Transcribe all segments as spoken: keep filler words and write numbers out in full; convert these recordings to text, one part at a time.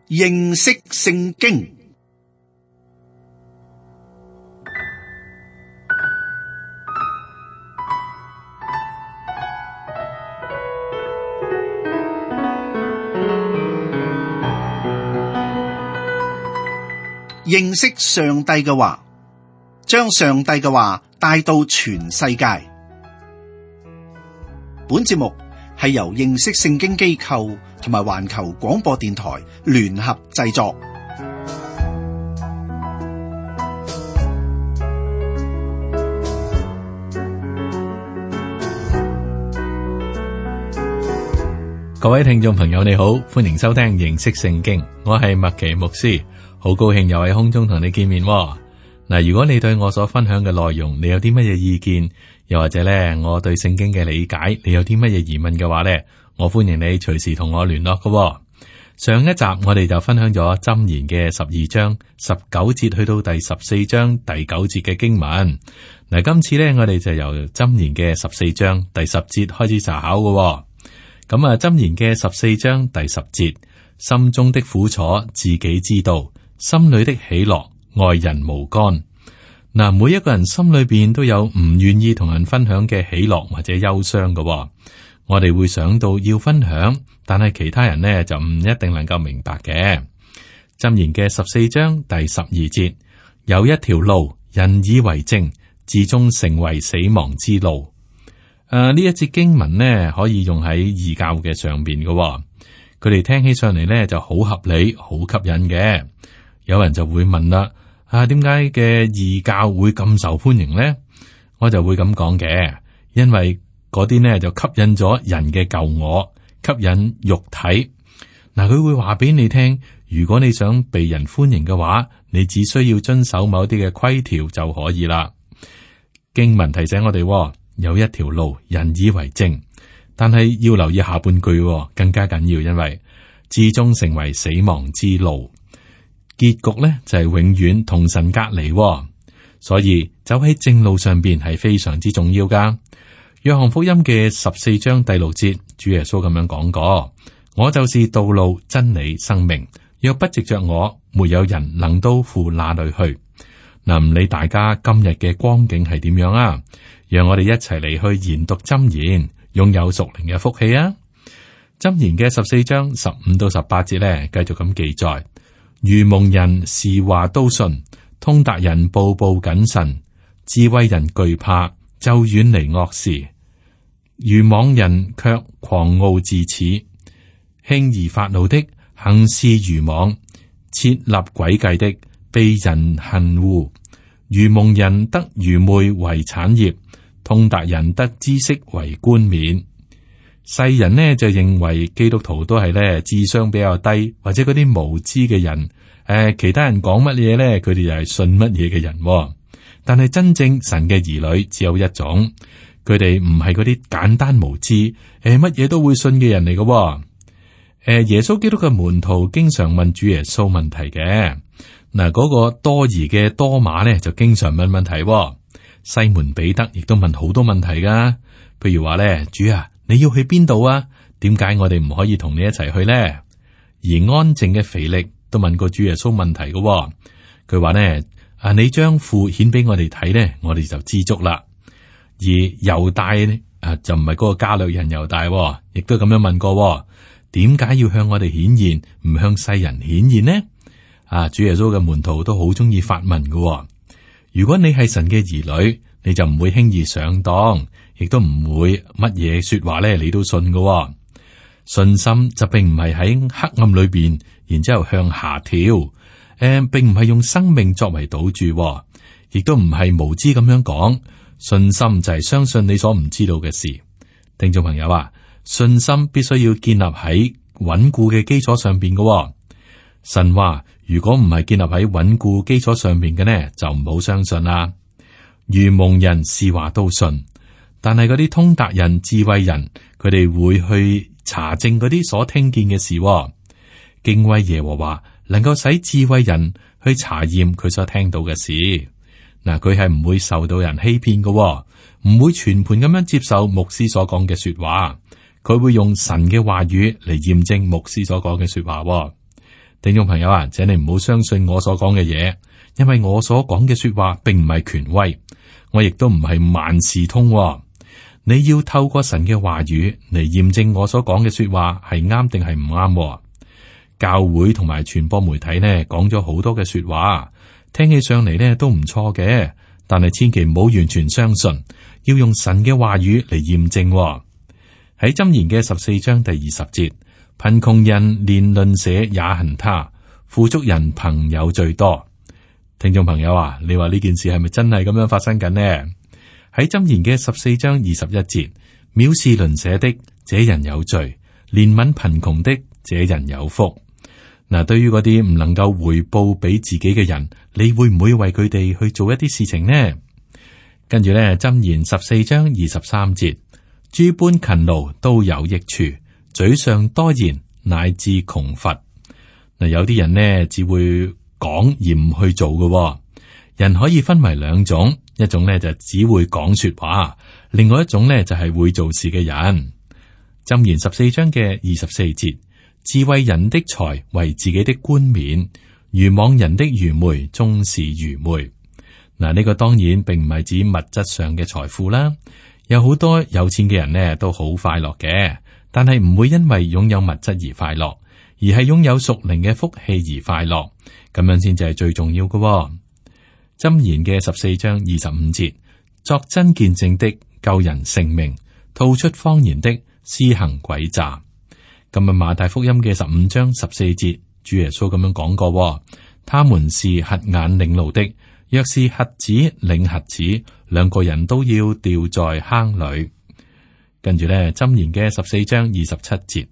認識聖經。認識上帝嘅話，將上帝嘅話帶到全世界。本節目係由認識聖經機構同埋環球廣播電台聯合製作。各位聽眾朋友，你好，歡迎收聽認識聖經，我係麥奇牧師，好高興又喺空中同你見面。嗱，如果你對我所分享嘅內容，你有啲乜嘢意見，又或者咧，我對聖經嘅理解，你有啲乜嘢疑問嘅話咧，我歡迎你隨時同我聯絡嘅。上一集我哋就分享咗箴言嘅十二章十九節去到第十四章第九節嘅經文。嗱，今次咧我哋就由箴言嘅十四章第十節開始查考嘅。咁啊，箴言嘅十四章第十節，心中的苦楚自己知道，心裏的喜樂外人無干。嗱，每一個人心裏邊都有唔願意同人分享嘅喜樂或者憂傷嘅。我哋會想到要分享，但係其他人呢就唔一定能夠明白嘅。箴言嘅十四章第十二節，有一條路，人以為正，至終成為死亡之路。誒，呢、啊、一節經文呢，可以用喺異教嘅上邊嘅、哦，佢哋聽起上嚟呢就好合理、好吸引嘅。有人就會問啦：啊，點解嘅異教會咁受歡迎呢？我就會咁講嘅，因為嗰啲呢就吸引咗人嘅舊我，吸引肉體。嗱、啊，佢會話俾你聽，如果你想被人歡迎嘅話，你只需要遵守某啲嘅規條就可以啦。經文提醒我哋、哦。有一條路，人以為正，但係要留意下半句，更加緊要，因為至終成為死亡之路，結局咧就係永遠同神隔離，所以走喺正路上邊係非常之重要噶。約翰福音嘅十四章第六節，主耶穌咁樣講過：我就是道路、真理、生命，若不藉着我，沒有人能到父那裏去。嗱，唔理大家今日嘅光景係點樣啊？讓我哋一齊嚟去研讀箴言，擁有屬靈嘅福氣啊！箴言嘅十四章十五到十八節咧，繼續咁記載：愚蒙人是話都信，通達人步步謹慎，智慧人懼怕就遠離惡事，愚妄人卻狂傲自恃，輕易發怒的行事愚妄，設立詭計的被人恨惡。愚蒙人得愚昧為產業，通達人得知識為冠冕。世人呢就認為基督徒都係咧智商比較低，或者嗰啲無知嘅人。誒、呃，其他人講乜嘢咧，佢哋就係信乜嘢嘅人、哦。但係真正神嘅兒女只有一種，佢哋唔係嗰啲簡單無知，誒乜嘢都會信嘅人嚟嘅、哦。誒、呃，耶穌基督嘅門徒經常問主耶穌問題嘅。嗱，嗰個多疑嘅多馬咧就經常問問題、哦。西門彼得亦都問好多問題噶，譬如話咧，主啊，你要去邊度啊？點解我哋唔可以同你一齊去咧？而安靜嘅腓力都問過主耶穌問題噶、哦，佢話咧，啊，你將父顯俾我哋睇咧，我哋就知足啦。而猶大咧，啊，就唔係嗰個加略人猶大、哦，亦都咁樣問過、哦，點解要向我哋顯現，唔向世人顯現呢？啊！主耶穌嘅門徒都好中意發問嘅、哦。如果你係神嘅兒女，你就唔會輕易上當，亦都唔會乜嘢說話咧，你都信嘅、哦。信心就並唔係喺黑暗裏邊，然之後向下跳。誒、呃，並唔係用生命作為賭注、哦，亦都唔係無知咁樣講。信心就係相信你所唔知道嘅事。聽眾朋友啊，信心必須要建立喺穩固嘅基礎上邊嘅、哦。神話如果唔係建立喺穩固基礎上面嘅呢，就唔好相信啦。愚蒙人是話都信，但係嗰啲通達人、智慧人，佢哋會去查證嗰啲所聽見嘅事、哦。敬畏耶和華，能夠使智慧人去查驗佢所聽到嘅事。嗱，佢係唔會受到人欺騙嘅、哦，唔會全盤咁樣接受牧師所講嘅說話。佢會用神嘅話語嚟驗證牧師所講嘅說話、哦。聽眾朋友啊，請你唔好相信我所講嘅嘢，因為我所講嘅說話並唔係權威，我亦都唔係萬事通喎。你要透過神嘅話語嚟驗證我所講嘅說話係啱定係唔啱。教會同埋傳播媒體呢講咗好多嘅說話，聽起上嚟呢都唔錯嘅，但係千祈唔好完全相信，要用神嘅話語嚟驗證喎。喺箴言嘅十四章第二十節，貧窮人連鄰舍也恨他，富足人朋友最多。聽眾朋友啊，你話呢件事係咪真係咁樣發生緊呢？喺箴言嘅十四章二十一節，藐視鄰舍的，這人有罪；憐憫貧窮的，這人有福。嗱，對於嗰啲唔能夠回報俾自己嘅人，你會唔會為佢哋去做一啲事情呢？跟住咧，箴言十四章二十三節，諸般勤勞都有益處，嘴上多言乃致窮乏。嗱，有啲人呢只會講而唔去做嘅。人可以分為兩種，一種呢就只會講說話，另外一種呢就係會做事嘅人。箴言十四章嘅二十四節，智慧人的財為自己的冠冕，愚妄人的愚昧終是愚昧。嗱，呢個當然並唔係指物質上嘅財富啦。有好多有錢嘅人呢都好快樂嘅，但係唔會因為擁有物質而快樂，而係擁有屬靈嘅福氣而快樂，咁樣先至係最重要嘅。箴言嘅十四章二十五節，作真見證的救人性命，吐出謊言的施行詭詐。今日馬太福音嘅十五章十四節，主耶穌咁樣講過：他們是瞎眼領路的，若是瞎子領瞎子，兩個人都要掉在坑裏。跟住咧，箴言嘅十四章二十七節，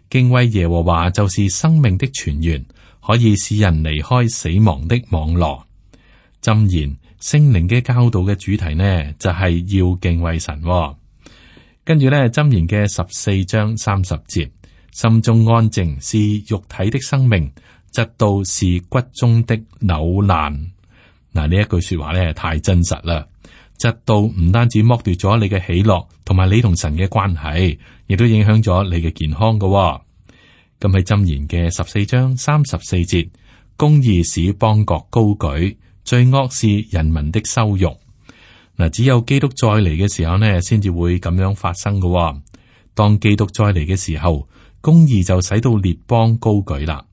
敬畏耶和華就是生命的泉源，可以使人離開死亡的網羅。箴言聖靈嘅教導嘅主題呢，就係、是、要敬畏神、哦。跟住咧，箴言嘅十四章三十節，心中安靜是肉體的生命，嫉妒是骨中的扭爛。嗱，呢一句說話咧太真實啦！嫉妒唔單止剝奪咗你嘅喜樂，同埋你同神嘅關係，亦都影響咗你嘅健康噶、哦。咁喺箴言嘅十四章三十四節，公義使邦國高舉，罪惡是人民的羞辱。嗱，只有基督再嚟嘅時候呢，先至會咁樣發生噶、哦。當基督再嚟嘅時候，公義就使到列邦高舉啦。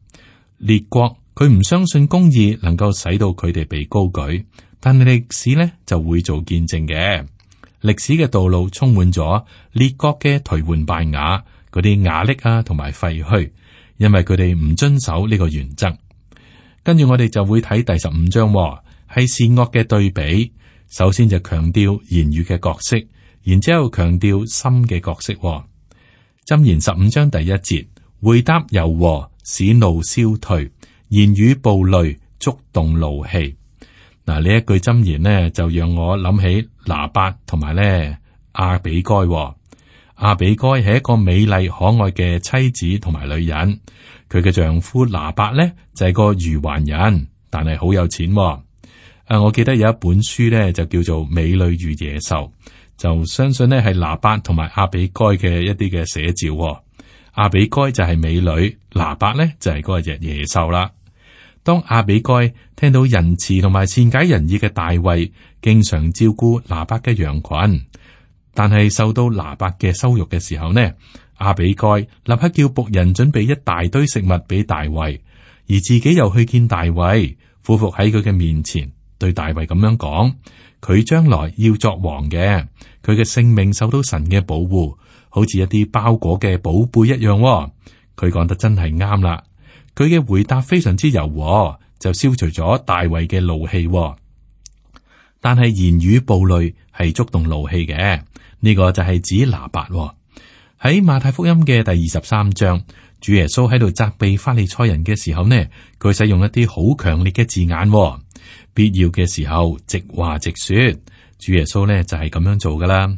列國佢唔相信公義能夠使到佢哋被高舉，但係歷史呢就會做見證嘅。歷史嘅道路充滿咗列國嘅頹垣敗瓦，嗰啲瓦礫啊同埋廢墟，因為佢哋唔遵守呢個原則。跟住我哋就會睇第十五章、哦，係善惡嘅對比。首先就強調言語嘅角色，然之後強調心嘅角色、哦。箴言十五章第一節，回答柔和，使怒消退；言語暴戾，觸動怒氣。嗱，呢一句箴言呢，就讓我諗起拿八同埋咧亞比該、哦。亞比該係一個美麗可愛嘅妻子同埋女人，佢嘅丈夫拿八咧就係、是、個愚頑人，但係好有錢、哦。誒，我記得有一本書咧，就叫做《美女與野獸》，就相信呢係拿八同埋亞比該嘅一啲嘅寫照、哦。亞比該就係美女，拿八咧就係嗰個隻野獸啦。當亞比該聽到仁慈同埋善解人意嘅大衛，經常照顧拿八嘅羊群，但係受到拿八嘅羞辱嘅時候呢，亞比該立刻叫僕人準備一大堆食物俾大衛，而自己又去見大衛，俯伏喺佢嘅面前。對大衛咁樣講，佢將來要作王嘅，佢嘅性命受到神嘅保護，好似一啲包裹嘅寶貝一樣、哦。佢講得真係啱啦，佢嘅回答非常之柔和，就消除咗大衛嘅怒氣、哦。但係言語暴戾係觸動怒氣嘅，呢、這個就係指拿八、哦。喺馬太福音嘅第二十三章，主耶穌喺度責備法利賽人嘅時候呢，佢使用一啲好強烈嘅字眼、哦。必要嘅時候，直話直說，主耶穌呢就係咁樣做噶啦。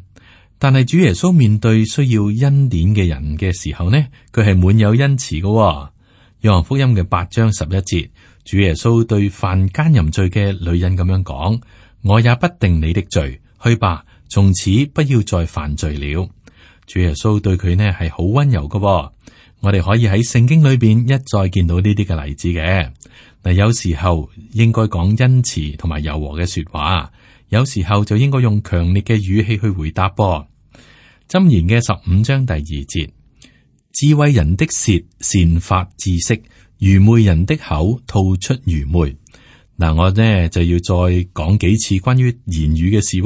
但係主耶穌面對需要恩典嘅人嘅時候呢，佢係滿有恩慈噶、哦。約翰福音嘅八章十一節，主耶穌對犯奸淫罪嘅女人咁樣講：我也不定你的罪，去吧，從此不要再犯罪了。主耶穌對佢呢係好溫柔噶、哦，我哋可以喺聖經裏邊一再見到呢啲嘅例子嘅。嗱，有時候應該講恩慈同埋柔和嘅說話，有時候就應該用強烈嘅語氣去回答噃。箴言嘅十五章第二節，智慧人的舌善發知識，愚昧人的口吐出愚昧。嗱，我呢就要再講幾次關於言語嘅事。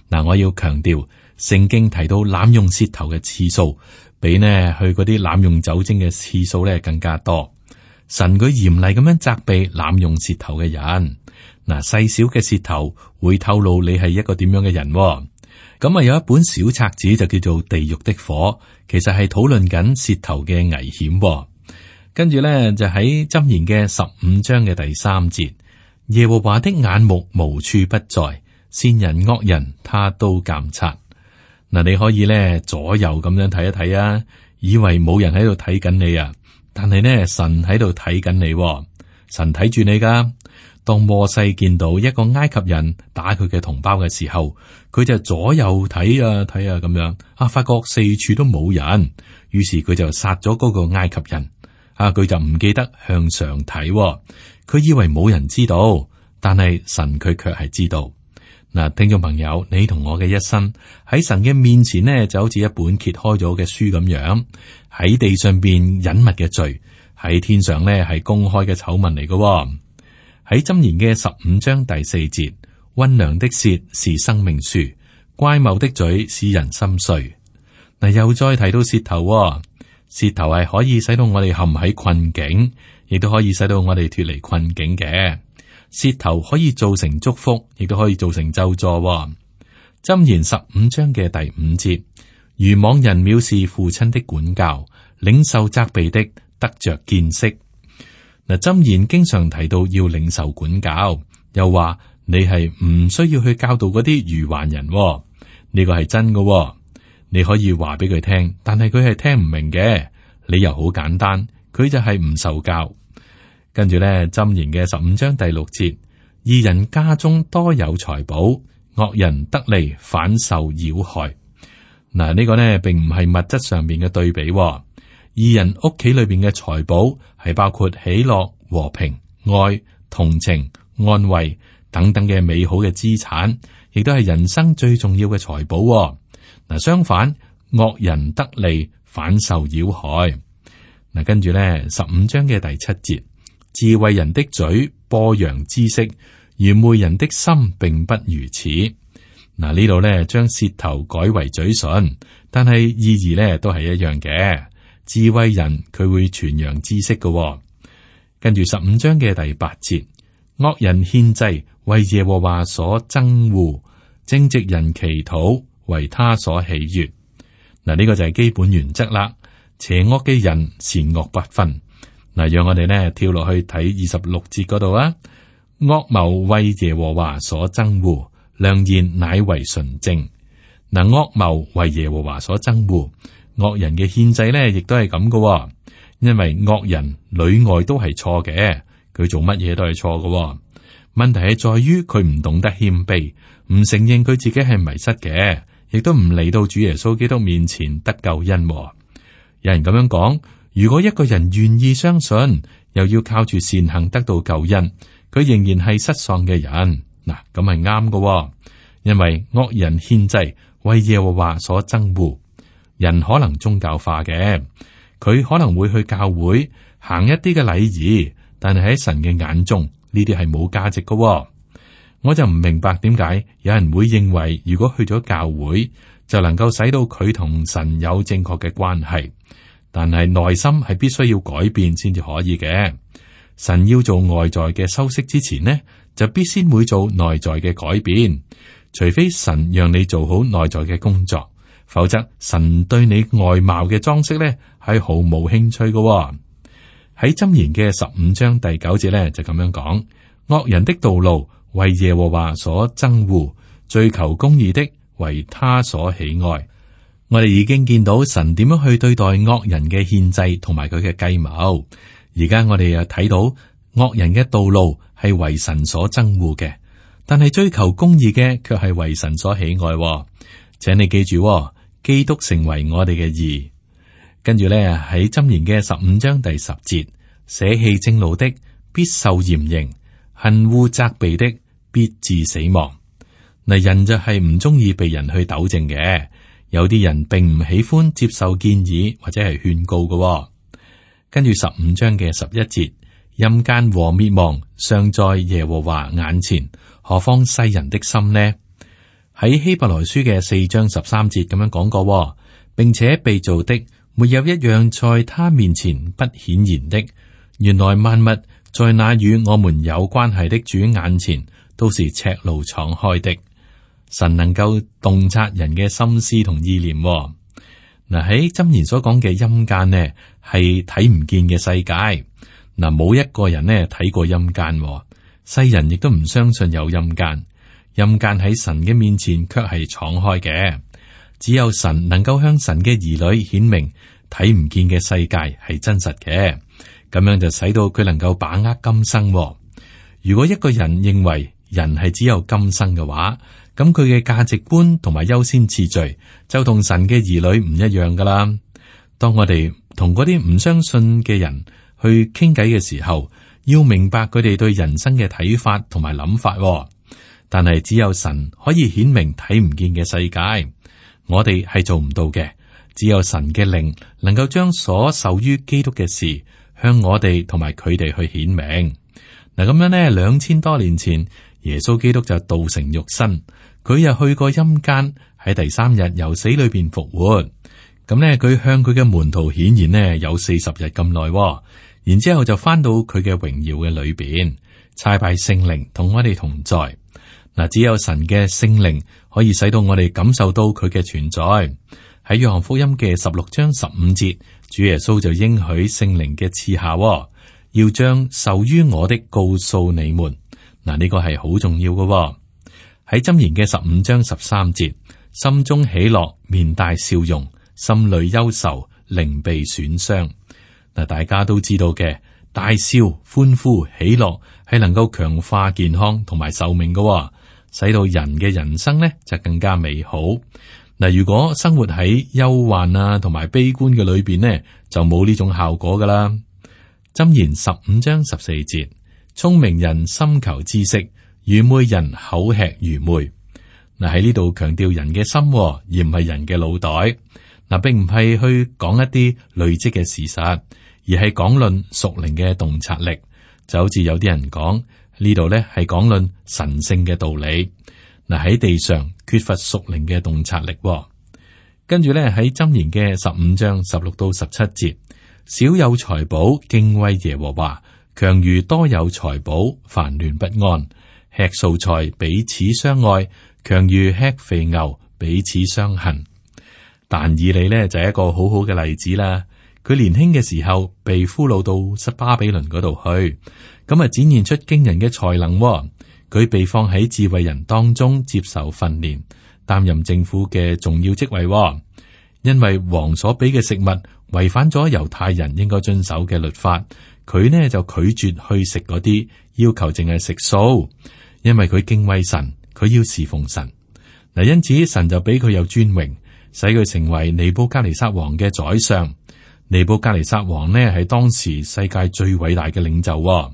嗱，我要強調，聖經提到濫用舌頭嘅次數，比呢去嗰啲濫用酒精嘅次數咧更加多。神佢嚴厲咁樣責備濫用舌頭嘅人。嗱，細小嘅舌頭會透露你係一個點樣嘅人。咁啊，有一本小冊子就叫做《地獄的火》，其實係討論緊舌頭嘅危險。跟住咧就喺箴言嘅十五章嘅第三節，耶和華的眼目無處不在，善人惡人他都監察。嗱，你可以咧左右咁樣睇一睇啊，以為冇人喺度睇緊你啊，但係呢，神喺度睇緊你，神睇住你噶。當摩西見到一個埃及人打佢嘅同胞嘅時候，佢就左右睇啊睇啊咁樣啊，發覺四處都冇人，於是佢就殺咗嗰個埃及人。啊，佢就唔記得向上睇，佢以為冇人知道，但係神佢卻係知道。嗱，聽眾朋友，你同我嘅一生喺神嘅面前呢，就好似一本揭開咗嘅書咁樣，喺地上邊隱密嘅罪，喺天上呢係公開嘅醜聞嚟嘅。喺箴言嘅十五章第四節，溫良的舌是生命樹，乖謬的嘴使人心碎。嗱，又再提到舌頭，舌頭係可以使到我哋陷喺困境，亦都可以使到我哋脫離困境嘅。舌頭可以造成祝福，亦都可以造成咒詛。箴言十五章嘅第五節，愚妄人藐視父親的管教，領受責備的得着見識。嗱，箴言經常提到要領受管教，又話你係唔需要去教導嗰啲愚頑人，呢個係真嘅。你可以話俾佢聽，但係佢係聽唔明嘅。理由好簡單，佢就係唔受教。跟住咧，箴言嘅十五章第六節，義人家中多有財寶，惡人得利反受擾害。嗱，呢個呢並唔係物質上面嘅對比。義人屋企裏邊嘅財寶係包括喜樂、和平、愛、同情、安慰等等嘅美好嘅資產，亦都係人生最重要嘅財寶。嗱，相反，惡人得利反受擾害。嗱，跟住咧，十五章嘅第七節，智慧人的嘴播揚知識，愚昧人的心並不如此。嗱，呢度咧將舌頭改為嘴唇，但係意義咧都係一樣嘅。智慧人佢會傳揚知識嘅。跟住十五章嘅第八節，惡人獻祭為耶和華所憎惡，正直人祈禱為他所喜悅。嗱，呢個就係基本原則啦。邪惡嘅人善惡不分。嗱，讓我哋呢跳落去睇二十六節嗰度啊。惡謀為耶和華所憎惡，良言乃為純正。嗱，惡謀為耶和華所憎惡，惡人嘅獻祭呢，亦都係咁嘅。因為惡人裏外都係錯嘅，佢做乜嘢都係錯嘅。問題係在於佢唔懂得謙卑，唔承認佢自己係迷失嘅，亦都唔嚟到主耶穌基督面前得救恩。有人咁樣講，如果一個人願意相信，又要靠住善行得到救恩，佢仍然係失喪嘅人。嗱，咁係啱嘅，因為惡人獻祭為耶和華所憎惡。人可能宗教化嘅，佢可能會去教會行一啲嘅禮儀，但係喺神嘅眼中呢啲係冇價值嘅。我就唔明白點解有人會認為，如果去咗教會就能夠使到佢同神有正確嘅關係。但係內心係必須要改變先至可以嘅。神要做外在嘅修飾之前呢，就必先會做內在嘅改變。除非神讓你做好內在嘅工作，否則神對你外貌嘅裝飾呢係毫無興趣嘅。喺箴言嘅十五章第九節呢，就咁樣講：惡人的道路為耶和華所憎惡，追求公義的為他所喜愛。我哋已經見到神點樣去對待惡人嘅獻祭同埋佢嘅計謀。而家我哋又睇到惡人嘅道路係為神所憎惡嘅，但係追求公義嘅卻係為神所喜愛。請你記住，基督成為我哋嘅義。跟住咧喺箴言嘅十五章第十節，捨棄正路的必受嚴刑，恨惡責備的必致死亡。嗱，人就係唔中意被人去糾正嘅，有啲人並唔喜歡接受建議或者係勸告嘅。跟住十五章嘅十一節，陰間和滅亡尚在耶和華眼前，何況世人的心呢？喺希伯來書嘅四章十三節咁樣講過，並且被造的沒有一樣在他面前不顯然的。原來萬物在那與我們有關係的主眼前都是赤露敞開的。神能夠洞察人嘅心思同意念。嗱，喺箴言所講嘅陰間呢，係睇唔見嘅世界。嗱，冇一個人呢睇過陰間，世人亦都唔相信有陰間。陰間喺神嘅面前卻係敞開嘅，只有神能夠向神嘅兒女顯明睇唔見嘅世界係真實嘅，咁樣就使到佢能夠把握今生。如果一個人認為人係只有今生嘅話，咁佢嘅價值觀同埋優先次序就同神嘅兒女唔一樣噶啦。當我哋同嗰啲唔相信嘅人去傾偈嘅時候，要明白佢哋對人生嘅睇法同埋諗法。但係只有神可以顯明睇唔見嘅世界，我哋係做唔到嘅。只有神嘅靈能夠將所受於基督嘅事向我哋同埋佢哋去顯明。嗱，咁樣呢，兩千多年前耶穌基督就道成肉身，佢又去過陰間，喺第三日由死裏邊復活。咁呢，佢向佢嘅門徒顯現呢有四十日咁耐，然之後就翻到佢嘅榮耀嘅裏邊，差派聖靈同我哋同在。嗱，只有神嘅聖靈可以使到我哋感受到佢嘅存在。喺約翰福音嘅十六章十五節，主耶穌就應許聖靈嘅賜下，要將受於我的告訴你們。嗱，呢個係好重要嘅。喺箴言嘅十五章十三節，心中喜樂，面帶笑容；心裏憂愁，靈被損傷。嗱，大家都知道嘅，大笑、歡呼、喜樂係能夠強化健康同埋壽命嘅，使到人嘅人生呢就更加美好。嗱，如果生活喺憂患啊同埋悲觀嘅裏邊呢，就冇呢種效果噶啦。箴言十五章十四節，聰明人心求知識，愚昧人口吃愚昧。嗱，喺呢度強調人嘅心，而唔係人嘅腦袋。嗱，並唔係去講一啲累積嘅事實，而係講論屬靈嘅洞察力。就好似有啲人講呢度咧，係講論神聖嘅道理。嗱，喺地上缺乏屬靈嘅洞察力。跟住咧喺箴言嘅十五章十六到十七節，少有財寶敬畏耶和華，強如多有財寶煩亂不安。吃素菜彼此相愛，強如吃肥牛彼此相恨。但以理呢，就係一個好好嘅例子啦。佢年輕嘅時候被俘虜到巴比倫嗰度去，咁啊展現出驚人嘅才能。佢被放喺智慧人當中接受訓練，擔任政府嘅重要職位。因為王所俾嘅食物違反咗猶太人應該遵守嘅律法，佢呢就拒絕去食嗰啲，要求淨係食素。因為佢敬畏神，佢要侍奉神。嗱，因此神就俾佢有尊榮，使佢成為尼布甲尼撒王嘅宰相。尼布甲尼撒王呢係當時世界最偉大嘅領袖。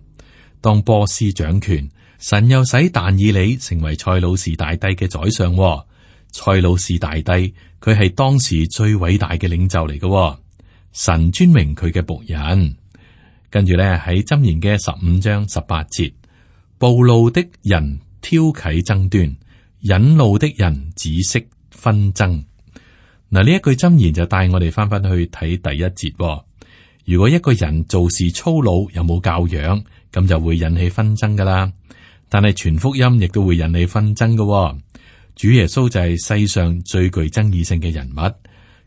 當波斯掌權，神又使但以理成為塞魯士大帝嘅宰相。塞魯士大帝佢係當時最偉大嘅領袖嚟嘅。神尊榮佢嘅僕人。跟住咧喺箴言嘅十五章十八節，暴怒的人挑起爭端，忍怒的人止息紛爭。嗱，呢一句箴言就帶我哋翻返去睇第一節。如果一個人做事粗魯，有冇教養，咁就會引起紛爭噶啦。但係傳福音亦都會引起紛爭噶。主耶穌就係世上最具爭議性嘅人物，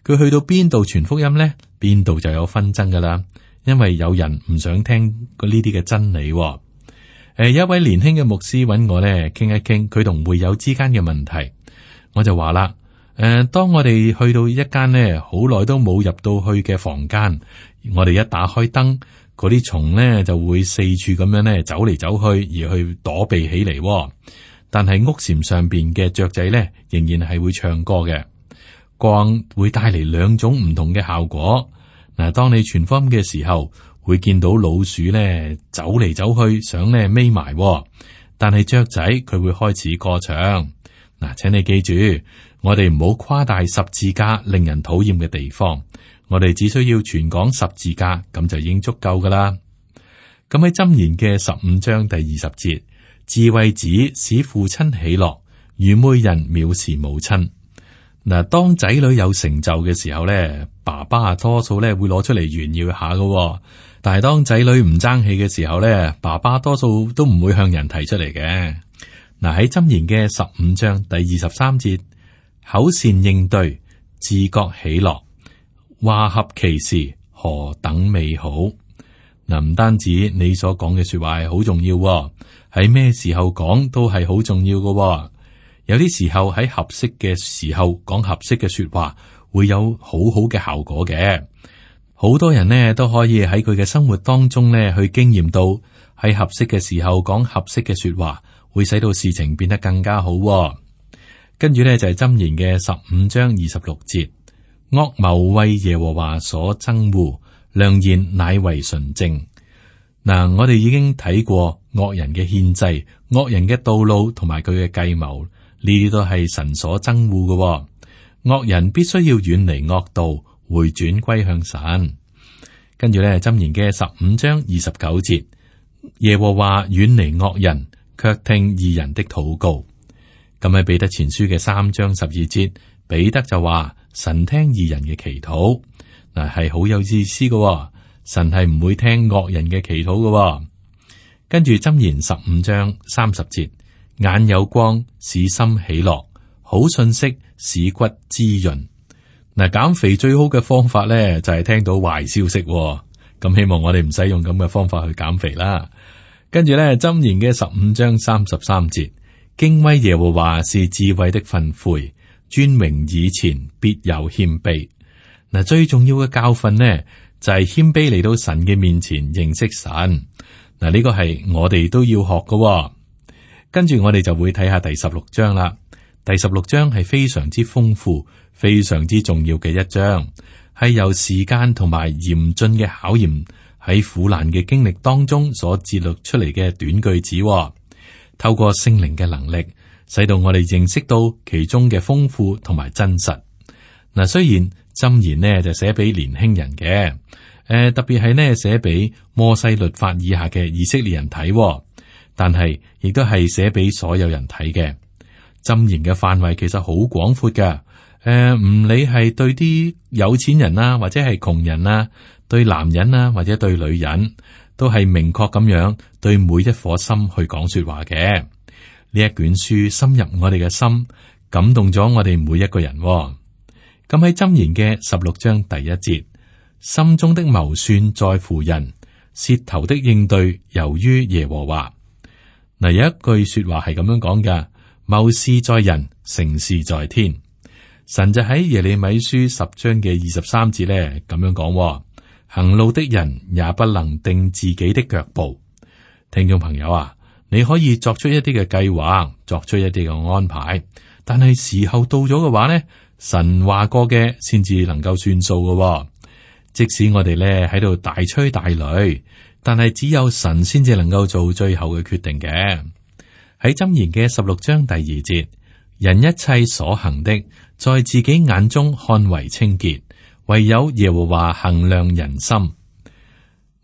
佢去到邊度傳福音呢，邊度就有紛爭噶啦。因為有人唔想聽呢啲嘅真理。誒、呃，有一位年輕嘅牧師揾我咧，傾一傾佢同會友之間嘅問題。我就話啦，誒、呃，當我哋去到一間呢好耐都冇入到去嘅房間，我哋一打開燈，嗰啲蟲呢就會四處咁樣咧走嚟走去，而去躲避起嚟。但係屋檐上邊嘅雀仔咧，仍然係會唱歌嘅。光會帶嚟兩種唔同嘅效果。嗱，當你傳福音嘅時候，會見到老鼠咧走嚟走去，想咧匿埋，但係雀仔佢會開始歌唱。嗱，請你記住，我哋唔好誇大十字架令人討厭嘅地方，我哋只需要傳講十字架，咁就已經足夠噶啦。咁喺箴言嘅十五章第二十節，智慧子使父親喜樂，愚昧人藐視母親。嗱，當仔女有成就嘅時候咧，爸爸啊多數咧會攞出嚟炫耀下噶。但係當仔女唔爭氣嘅時候咧，爸爸多數都唔會向人提出嚟嘅。嗱，喺箴言嘅十五章第二十三節，口善應對，自覺喜樂，話合其時，何等美好。嗱，唔單止你所講嘅說話係好重要，喺咩時候講都係好重要嘅。有啲時候喺合適嘅時候講合適嘅說話，會有好好嘅效果嘅。好多人呢都可以喺佢嘅生活當中呢去經驗到，喺合適嘅時候講合適嘅說話，會使到事情變得更加好。跟住呢就係箴言嘅十五章二十六節，惡謀為耶和華所憎惡，良言乃為純正。嗱，我哋已經睇過惡人嘅獻祭、惡人嘅道路同埋佢嘅計謀，呢啲都係神所憎惡嘅。惡人必須要遠離惡道，回轉歸向神。跟住咧，箴言嘅十五章二十九節，耶和華遠離惡人，卻聽義人的禱告。咁喺彼得前書嘅三章十二節，彼得就話神聽義人嘅祈禱，嗱係好有意思嘅。神係唔會聽惡人嘅祈禱嘅。跟住箴言十五章三十節，眼有光使心喜樂，好信息使骨滋潤。嗱，減肥最好嘅方法咧就係聽到壞消息。咁希望我哋唔使用咁嘅方法去減肥啦。跟住咧，箴言嘅十五章三十三節，敬畏耶和華是智慧的訓誨，尊榮以前必有謙卑。嗱，最重要嘅教訓呢，就係謙卑嚟到神嘅面前認識神。嗱，呢個係我哋都要學嘅。跟住我哋就會睇下第十六章啦。第十六章係非常之豐富、非常之重要嘅一章，係由時間同埋嚴峻嘅考驗喺苦難嘅經歷當中所節錄出嚟嘅短句子。透過聖靈嘅能力，使到我哋認識到其中嘅豐富同埋真實。嗱，雖然箴言呢就寫俾年輕人嘅，誒、呃、特別係呢寫俾摩西律法以下嘅以色列人睇，但係亦都係寫俾所有人睇嘅。箴言嘅範圍其實好廣闊嘅，誒、呃、唔理係對啲有錢人啦，或者係窮人啦，對男人啦，或者對女人，都係明確咁樣對每一顆心去講說話嘅。呢一卷書深入我哋嘅心，感動咗我哋每一個人。咁喺箴言嘅十六章第一節，心中的謀算在乎人，舌頭的應對由於耶和華。嗱，有一句說話係咁樣講噶。謀事在人，成事在天。神就喺耶利米書十章嘅二十三節咧咁樣講：行路的人也不能定自己的腳步。聽眾朋友啊，你可以作出一啲嘅計劃，作出一啲嘅安排，但係時候到咗嘅話呢，神話過嘅先至能夠算數嘅。即使我哋咧喺度大吹大擂，但係只有神先至能夠做最後嘅決定嘅。喺箴言嘅十六章第二節，人一切所行的，在自己眼中看為清潔，唯有耶和華衡量人心。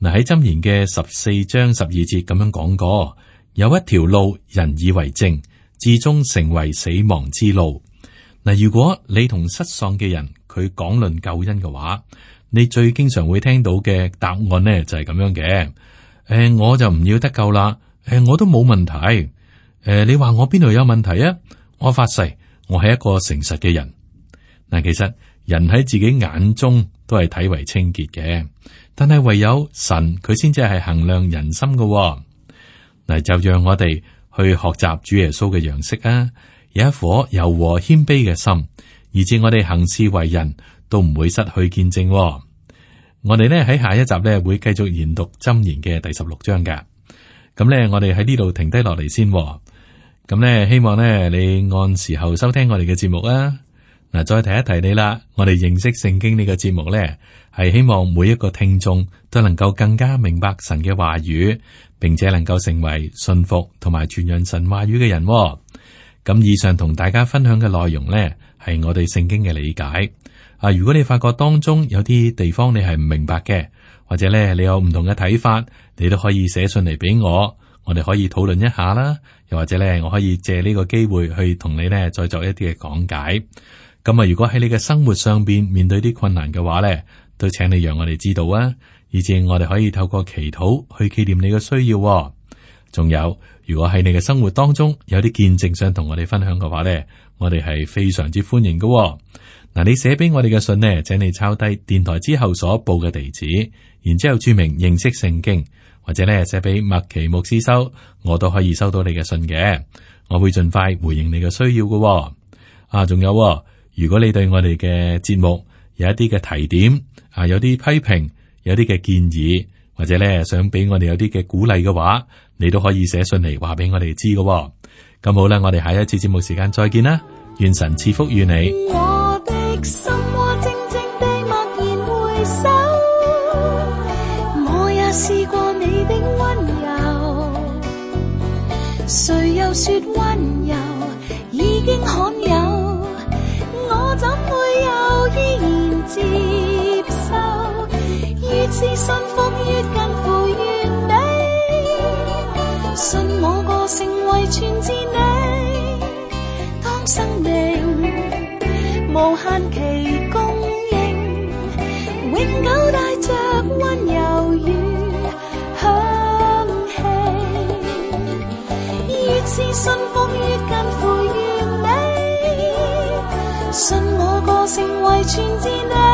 嗱，喺箴言嘅十四章十二節咁樣講過，有一條路人以為正，至終成為死亡之路。嗱，如果你同失喪嘅人佢講論救恩嘅話，你最經常會聽到嘅答案呢就係咁樣嘅。誒、呃，我就唔要得救啦。誒、呃，我都冇問題。誒、呃，你話我邊度有問題啊？我發誓，我係一個誠實嘅人。嗱，其實人喺自己眼中都係睇為清潔嘅，但係唯有神佢先至係衡量人心嘅、哦。嗱，就讓我哋去學習主耶穌嘅樣式啊，有一顆柔和謙卑嘅心，以致我哋行事為人都唔會失去見證、哦。我哋呢喺下一集呢會繼續研讀箴言嘅第十六章嘅。咁呢，我哋喺呢度停低落嚟先、哦。咁咧，希望咧你按時候收聽我哋嘅節目啊！嗱，再提一提你啦，我哋認識聖經呢個節目呢，係希望每一個聽眾都能夠更加明白神嘅話語，並且能夠成為信服同埋傳揚神話語嘅人。咁以上同大家分享嘅內容呢，係我對聖經嘅理解。啊，如果你發覺當中有啲地方你係唔明白嘅，或者咧你有唔同嘅睇法，你都可以寫信嚟俾我，我哋可以討論一下啦。又或者咧，我可以借呢個機會去同你呢再作一啲嘅講解。咁啊，如果喺你嘅生活上邊面對啲困難嘅話咧，都請你讓我哋知道啊，以至我哋可以透過祈禱去紀念你嘅需要。仲有，如果喺你嘅生活當中有啲見證想同我哋分享嘅話咧，我哋係非常之歡迎嘅。嗱，你寫俾我哋嘅信呢，請你抄低電台之後所報嘅地址，然之後注明認識聖經，或者咧寫俾麥奇牧師收，我都可以收到你嘅信嘅。我會盡快回應你嘅需要嘅。啊，仲有，如果你對我哋嘅節目有一啲嘅提點，啊，有啲批評，有啲嘅建議，或者咧想俾我哋有啲嘅鼓勵嘅話，你都可以寫信嚟話俾我哋知嘅。咁好啦，我哋下一次節目時間再見啦，願神賜福於你。我的心窩靜靜地默然回首，我也試過你的溫柔，誰又說溫柔已經罕有，我怎會又依然接受，越是信服越近乎完美，信我個性為全知你，當生命無限期供應，永久帶着溫柔與香氣，越是信服越近乎完美，信我個性為全知你。